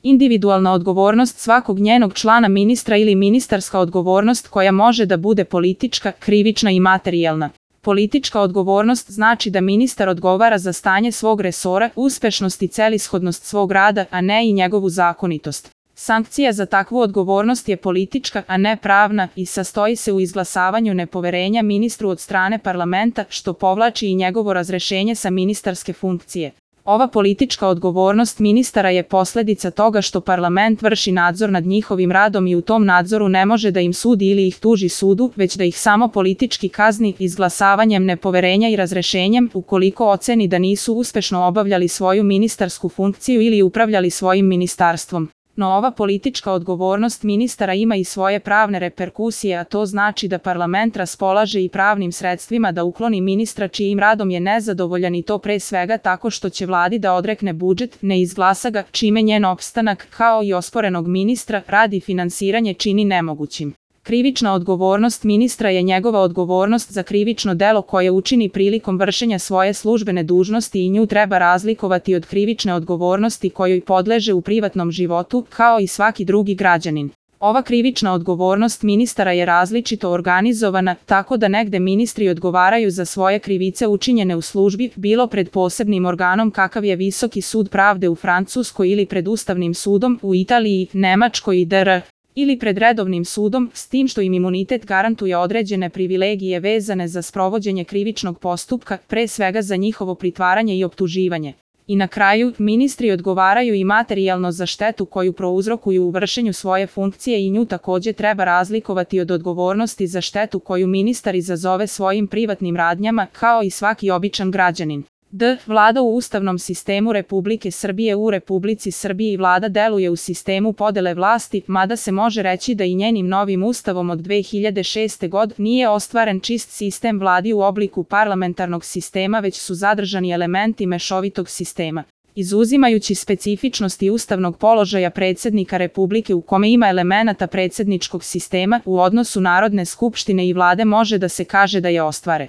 individualna odgovornost svakog njenog člana ministra ili ministarska odgovornost koja može da bude politička, krivična i materijalna. Politička odgovornost znači da ministar odgovara za stanje svog resora, uspešnost i celishodnost svog rada, a ne i njegovu zakonitost. Sankcija za takvu odgovornost je politička, a ne pravna, i sastoji se u izglasavanju nepoverenja ministru od strane parlamenta, što povlači i njegovo razrešenje sa ministarske funkcije. Ova politička odgovornost ministara je posledica toga što parlament vrši nadzor nad njihovim radom i u tom nadzoru ne može da im sudi ili ih tuži sudu, već da ih samo politički kazni izglasavanjem nepoverenja i razrešenjem ukoliko oceni da nisu uspešno obavljali svoju ministarsku funkciju ili upravljali svojim ministarstvom. No ova politička odgovornost ministara ima i svoje pravne reperkusije, a to znači da parlament raspolaže i pravnim sredstvima da ukloni ministra čijim radom je nezadovoljan, i to pre svega tako što će vladi da odrekne budžet, ne izglasa ga, čime njen opstanak, kao i osporenog ministra, rad i finansiranje čini nemogućim. Krivična odgovornost ministra je njegova odgovornost za krivično delo koje učini prilikom vršenja svoje službene dužnosti i nju treba razlikovati od krivične odgovornosti kojoj podleže u privatnom životu, kao i svaki drugi građanin. Ova krivična odgovornost ministara je različito organizovana, tako da negde ministri odgovaraju za svoje krivice učinjene u službi, bilo pred posebnim organom kakav je Visoki sud pravde u Francuskoj ili pred Ustavnim sudom u Italiji, Nemačkoj i dr. ili pred redovnim sudom, s tim što im imunitet garantuje određene privilegije vezane za sprovođenje krivičnog postupka, pre svega za njihovo pritvaranje i optuživanje. I na kraju, ministri odgovaraju i materijalno za štetu koju prouzrokuju u vršenju svoje funkcije i nju takođe treba razlikovati od odgovornosti za štetu koju ministar izazove svojim privatnim radnjama, kao i svaki običan građanin. Vlada u Ustavnom sistemu Republike Srbije. U Republici Srbiji vlada deluje u sistemu podele vlasti, mada se može reći da i njenim novim ustavom od 2006. godine nije ostvaren čist sistem vladi u obliku parlamentarnog sistema, već su zadržani elementi mešovitog sistema. Izuzimajući specifičnosti ustavnog položaja predsjednika Republike u kome ima elemenata predsjedničkog sistema, u odnosu Narodne skupštine i vlade može da se kaže da je ostvare.